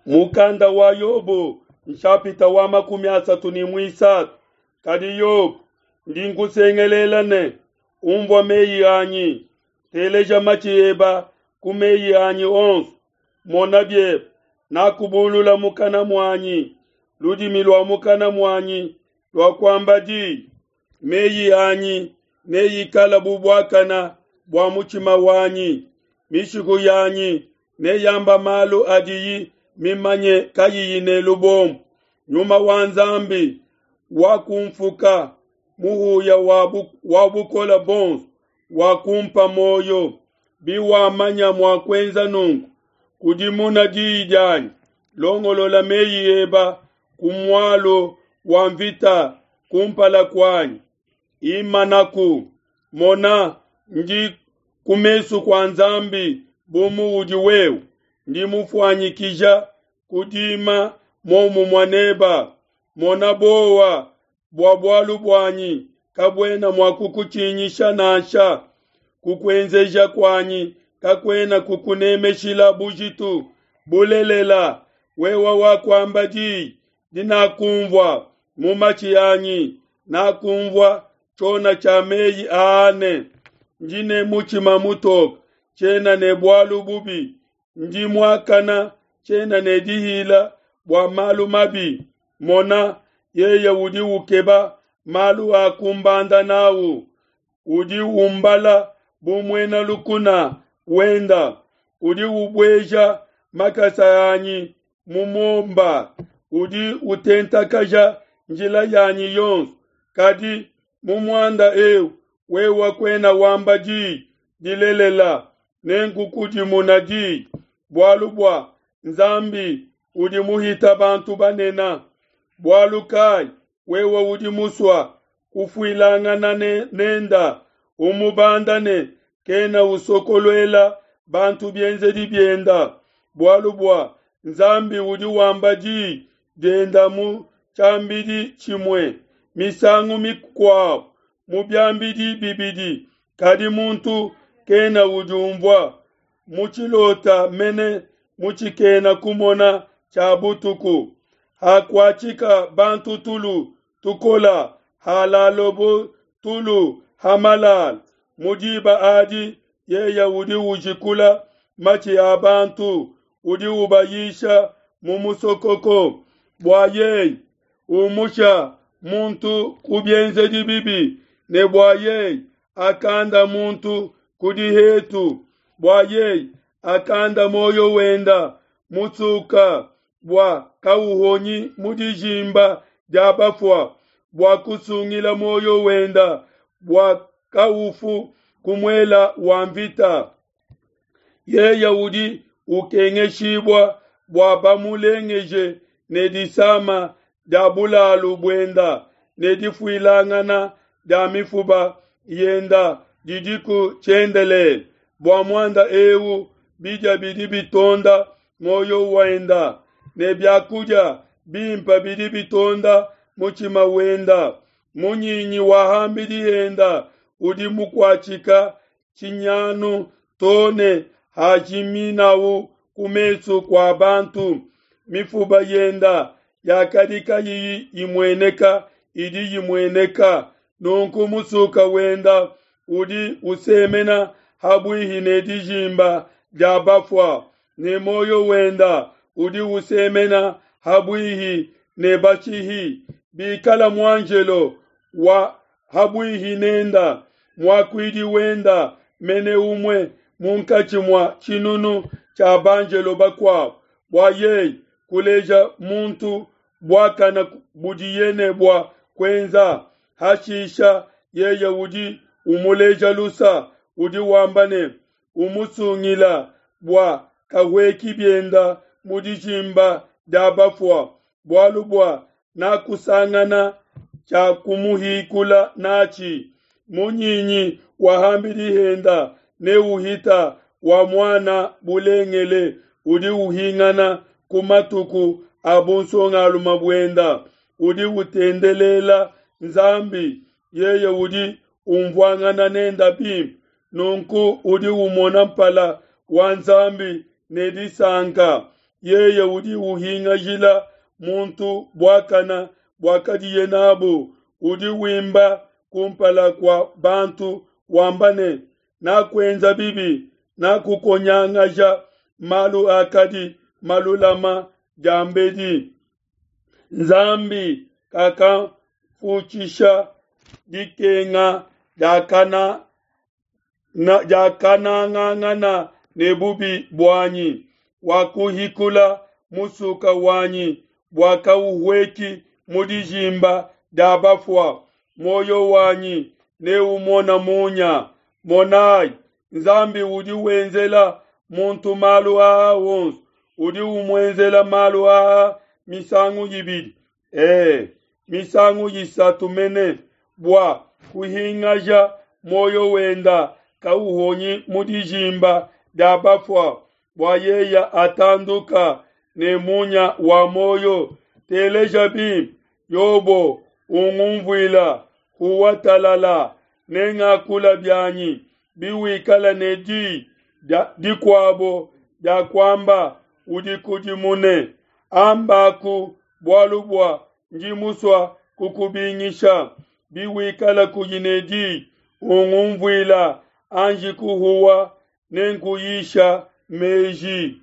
Mukanda wa Yobo nshapita wa 33. Kadi Yobo, ndi nkusengelela ne, umvua meyi anyi, teleja matshi eba ku meyi anyi onso. Mona biebe, nakubulula mukana muanyi, ludimi lua mukana muanyi luakuamba diyi. Meyi anyi neikala bu buakana bua mutshima wanyi, mishiku yanyi neyamba malu adiyi mimanye kayiyi ne lubombo. Nyuma wa Nzambi wakumfuka, muhuya wa bukole buonso wakumpa muoyo. Biwamanya mua kuenza nunku, kudimuna diyi dianyi, longolola meyi eba ku mualu wa mvita kumpala kuanyi. Imanaku, mona, ndi ku mesu kua Nzambi bu muudi wewe, ndi mufuanyikija kudima muomumue neba. Mona bowa bua bualu buanyi kabuena mua kukutshinyisha nansha, kukuenzeja kuanyi kakuena kukunemeshila bujitu. Bulelela, wewe wakuamba diyi dinakumvua mu matshi anyi, nakumvua tshiona tshia meyi aa ne, ndi ne mutshima mutoke, tshiena ne bualu bubi, ndi muakana, tshiena ne dihila bua malu mabi. Mona, yeye udi ukeba malu a kumbanda nawu, udi umbala bu muena lukuna wenda, udi ubueja makasa anyi mu muomba, udi utentakaja njila yanyi yonso. Kadi mu muanda eu wewe kuena wamba diyi dilelela, nenkukudimuna diyi, bualu bua Nzambi udi muhita bantu banene. Bualu kai wewe udi musua kufuilangana nenda, umubanda ne kena usokoluela bantu bienzedi bienda? Bualu bua Nzambi udi wamba diyi dienda mu tshiambidi tshimue, misangu mikuabu mu biambidi bibidi, kadi muntu kena udiumvua. Mu tshilota mene mu tshikena kumona tshia butuku, hakuatshika bantu tulu tukola, halalobo tulu hamalala. Mu diba adi yeye udi ujikula matshi a bantu, udi ubayisha mu musokoko, bua yeye umusha muntu ku bienzedi bibi, ne bua yeye akanda muntu ku dihetu, bua yeye akanda muoyo wenda mutsuka, bua kauhonyi mu dijimba dia bafua, bua kusungila muoyo wenda, bua kaufu ku muela wa mvita. Yeye udi ukengeshibua bua bamulengeje ne disama dia bulalu buenda, ne difuilangana dia mifuba yenda didiku tshiendelele. Bua muanda eu bidia bidi bitonda muoyo wenda, ne biakudia bimpe bidi bitonda mutshima wenda. Munyinyi wa hambidi yenda udi mukuatshika tshinyanu to ne hajiminawu ku mesu kua bantu. Mifuba yenda yakadi kayiyi imueneka idi imueneka. Nunku musuka wenda udi usemena habuihi ne dijimba dia bafua, ne muoyo wenda udi usemena habuihi ne bashihi. Bikala muanjelo wa habuihi nenda, muakuidi wenda mene umue munkatshi mua tshinunu tshia banjelo bakuabo, bua yeye kuleja muntu buakana budiye ne bua kuenza. Hashisha yeye udi umuleja lusa, udi wamba ne, umusungila bua kahueki bienda mu dijimba dia bafua, bualu bua nakusangana tshia kumuhikula natshi. Munyinyi wa hambidi henda neuhita wa muana bulengele, udi uhingana ku matuku a bunsongalume buenda, udi utendelela Nzambi, yeye udi umvuangana nenda bimpe. Nunku udi umona mpala wa Nzambi ne disanka. Yeye udi uhingajila muntu buakana buakadiye nabu, udi wimba kumpala kua bantu wamba ne, Nakuenza bibi, nakukonyangaja malu akadi malulama diambedi. Nzambi kakamfutshisha dikenga diakana diakanangangana ne bubi buanyi, wakuhikula musuka wanyi bua kauhueki mu dijimba dia bafua. Muoyo wanyi neumona munya. Monai, Nzambi udi wenzela muntu malu aa onso, udi umuenzela malu aa misangu ibidi, e, misangu isatu mene, bua kuhingaja muoyo wenda kauhonyi mu dijimba dia bafua, bua yeya atanduka ne munya wa muoyo. Teleja bimpe, Yobo, ungumvuila, huwa talala, nengakula bianyi, biwikala ne di dikuabo dia kuamba, udikudimune. Ambaku bualu bua ndi musua kukubingisha. Biwikala kuyi ne di, ungumvuila, anji kuhuwa, nenkuyisha meji.